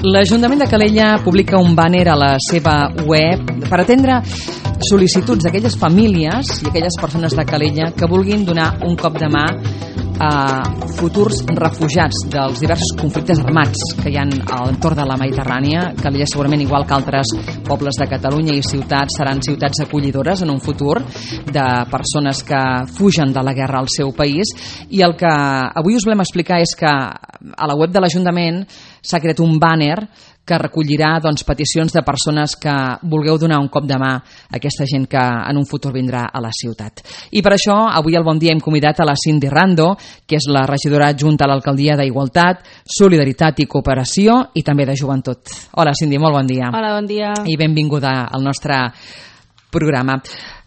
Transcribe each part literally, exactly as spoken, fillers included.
L'Ajuntament de Calella publica un bàner a la seva web per atendre sol·licituds d'aquelles famílies i aquelles persones de Calella que vulguin donar un cop de mà a futurs refugiats dels diversos conflictes armats que hi ha a l'entorn de la Mediterrània. Calella, segurament igual que altres pobles de Catalunya i ciutats, seran ciutats acollidores en un futur de persones que fugen de la guerra al seu país. I el que avui us volem explicar és que a la web de l'Ajuntament s'ha creat un bàner que recollirà doncs, peticions de persones que vulgueu donar un cop de mà a aquesta gent que en un futur vindrà a la ciutat. I per això, avui al Bon Dia hem convidat a la Cindy Rando, que és la regidora adjunta a l'Alcaldia d'Igualtat, Solidaritat i Cooperació i també de Joventut. Hola, Cindy, molt bon dia. Hola, bon dia. I benvinguda al nostre programa.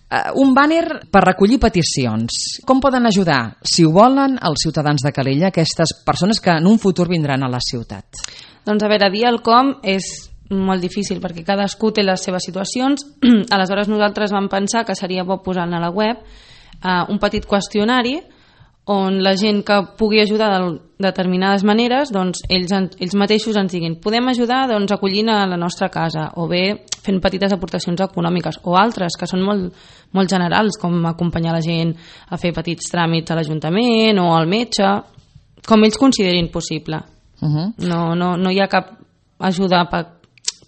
Uh, un bàner per recollir peticions. Com poden ajudar, si ho volen, els ciutadans de Calella, aquestes persones que en un futur vindran a la ciutat? Doncs a veure, dir el com és molt difícil perquè cadascú té les seves situacions. Aleshores nosaltres vam pensar que seria bo posar a la web uh, un petit qüestionari on la gent que pugui ajudar de determinades maneres, doncs ells, ells mateixos ens diguin podem ajudar doncs, acollint a la nostra casa o bé fent petites aportacions econòmiques o altres que són molt, molt generals, com acompanyar la gent a fer petits tràmits a l'Ajuntament o al metge, com ells considerin possible. Uh-huh. no, no, no hi ha cap ajuda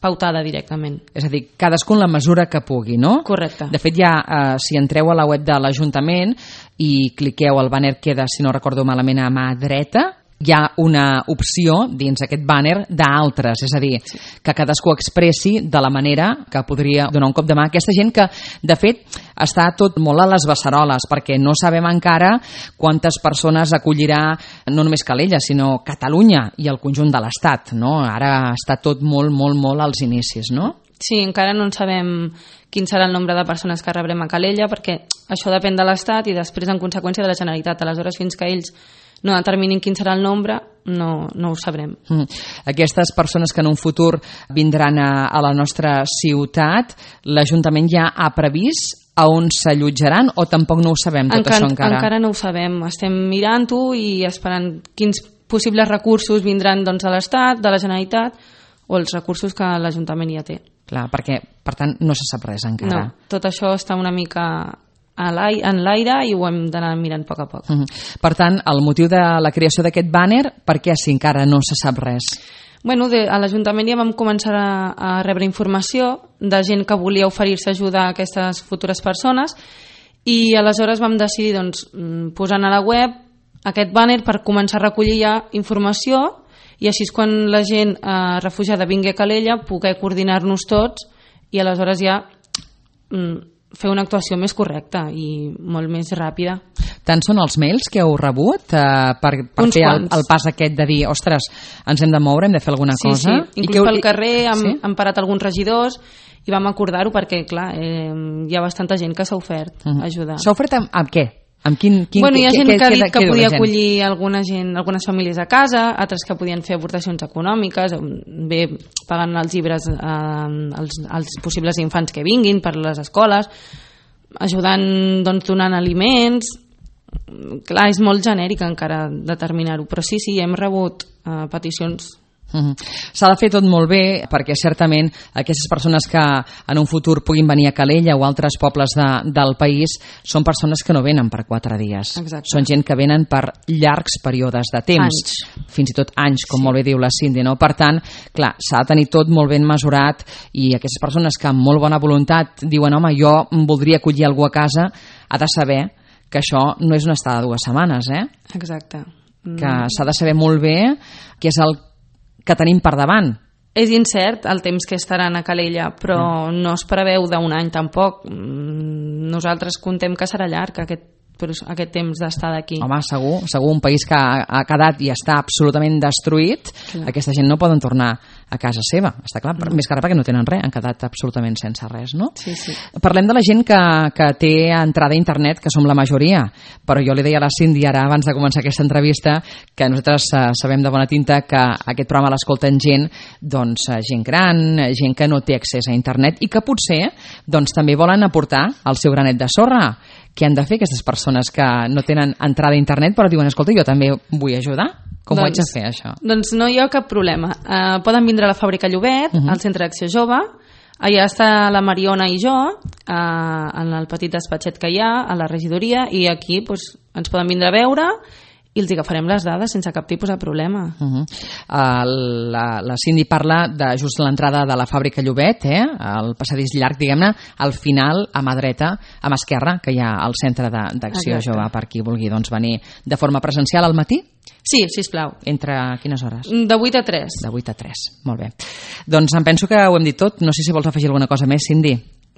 pautada directament. És a dir, cadascú en la mesura que pugui, no? Correcte. De fet, ja, eh, si entreu a la web de l'Ajuntament i cliqueu, el bàner queda, si no recordo malament, a mà dreta, hi ha una opció dins aquest bàner d'altres, és a dir, sí, que cadascú expressi de la manera que podria donar un cop de mà a aquesta gent que, de fet, està tot molt a les beceroles, perquè no sabem encara quantes persones acollirà no només Calella, sinó Catalunya i el conjunt de l'Estat, no? Ara està tot molt, molt, molt als inicis, no? Sí, encara no en sabem quin serà el nombre de persones que rebrem a Calella, perquè això depèn de l'Estat i després, en conseqüència, de la Generalitat. Aleshores, fins que ells no determinin quin serà el nombre, no, no ho sabrem. Mm. Aquestes persones que en un futur vindran a, a la nostra ciutat, l'Ajuntament ja ha previst a on s'allotjaran o tampoc no ho sabem, tot encara, això encara? Encara no ho sabem. Estem mirant-ho i esperant quins possibles recursos vindran doncs, de l'Estat, de la Generalitat o els recursos que l'Ajuntament ja té. Clar, perquè, per tant, no se sap res encara. No, tot això està una mica en l'aire i ho hem d'anar mirant a poc a poc. Uh-huh. Per tant, el motiu de la creació d'aquest bàner, per què si encara no se sap res? Bueno, de, a l'Ajuntament ja vam començar a, a rebre informació de gent que volia oferir-se a ajudar a aquestes futures persones i aleshores vam decidir doncs, posar a la web aquest bàner per començar a recollir ja informació i així és quan la gent eh, refugiada vingui a Calella poder coordinar-nos tots i aleshores ja mm, fer una actuació més correcta i molt més ràpida. Tant són els mails que heu rebut eh, per, per fer el, el pas aquest de dir, ostres, ens hem de moure, hem de fer alguna sí, cosa? Sí, inclús pel carrer hem, sí? hem parat alguns regidors i vam acordar-ho perquè, clar, eh, hi ha bastanta gent que s'ha ofert uh-huh. a ajudar. S'ha ofert amb, amb què? Amb quin, quin, bueno, hi ha gent que, que ha dit que, que que podia acollir alguna gent, algunes famílies a casa, altres que podien fer aportacions econòmiques, bé pagant els llibres eh, als, als possibles infants que vinguin per les escoles, ajudant doncs, donant aliments. Clar, és molt genèric encara determinar-ho, però sí, sí, hem rebut eh, peticions. Uh-huh. S'ha de fer tot molt bé perquè certament aquestes persones que en un futur puguin venir a Calella o altres pobles de, del país són persones que no venen per quatre dies. Exacte. Són gent que venen per llargs períodes de temps, anys. Fins i tot anys, com sí. molt bé diu la Cindy, no? Per tant, clar, s'ha de tenir tot molt ben mesurat i aquestes persones que amb molt bona voluntat diuen home, jo voldria acollir algú a casa, ha de saber que això no és una estada de dues setmanes, eh? Exacte. Mm. Que s'ha de saber molt bé què és el que tenim per davant. És incert el temps que estaran a Calella, però mm. no es preveu d'un any tampoc. Nosaltres contem que serà llarg aquest, aquest temps d'estar d'aquí. Home, segur, segur, un país que ha, ha quedat i està absolutament destruït, clar. Aquesta gent no poden tornar a casa seva, està clar, no. Més que res perquè no tenen res, han quedat absolutament sense res, no? Sí, sí. Parlem de la gent que, que té entrada a internet, que som la majoria, però jo li deia a la Cindy ara, abans de començar aquesta entrevista, que nosaltres uh, sabem de bona tinta que aquest programa l'escolten gent, doncs, uh, gent gran, gent que no té accés a internet i que potser doncs, també volen aportar el seu granet de sorra. què han de fer aquestes persones que no tenen entrada a internet però diuen, escolta, jo també vull ajudar? Com doncs, ho haig de fer, això? Doncs no hi ha cap problema. Uh, poden vindre a la Fàbrica Llobet, uh -huh. al Centre d'Acció Jove. Allà està la Mariona i jo, uh, en el petit despatxet que hi ha, a la regidoria, i aquí pues, ens poden vindre a veure i els agafarem les dades sense cap tipus de problema. Uh -huh. uh, la, la Cindy parla de just l'entrada de la Fàbrica Llobet, eh? El passadís llarg, diguem-ne, al final, a mà dreta, a mà esquerra, que hi ha el Centre d'Acció Jove, per qui vulgui doncs, venir de forma presencial al matí? Sí, sisplau. Entre quines hores? De vuit a tres. De vuit a tres, molt bé. Doncs em penso que ho hem dit tot. No sé si vols afegir alguna cosa més, Cindy.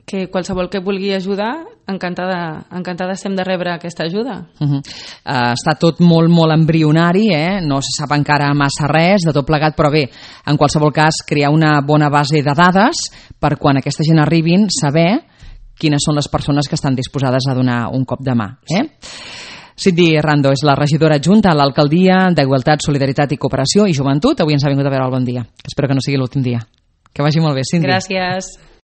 Que qualsevol que vulgui ajudar, encantada, encantada estem de rebre aquesta ajuda. Uh -huh. uh, està tot molt, molt embrionari, eh? No se sap encara massa res de tot plegat, però bé, en qualsevol cas, crear una bona base de dades per quan aquesta gent arribin, saber quines són les persones que estan disposades a donar un cop de mà. Eh? Cindy Rando és la regidora adjunta a l'Alcaldia d'Igualtat, Solidaritat i Cooperació i Joventut. Avui ens ha vingut a veure el Bon Dia. Espero que no sigui l'últim dia. Que vagi molt bé, Cindy. Gràcies.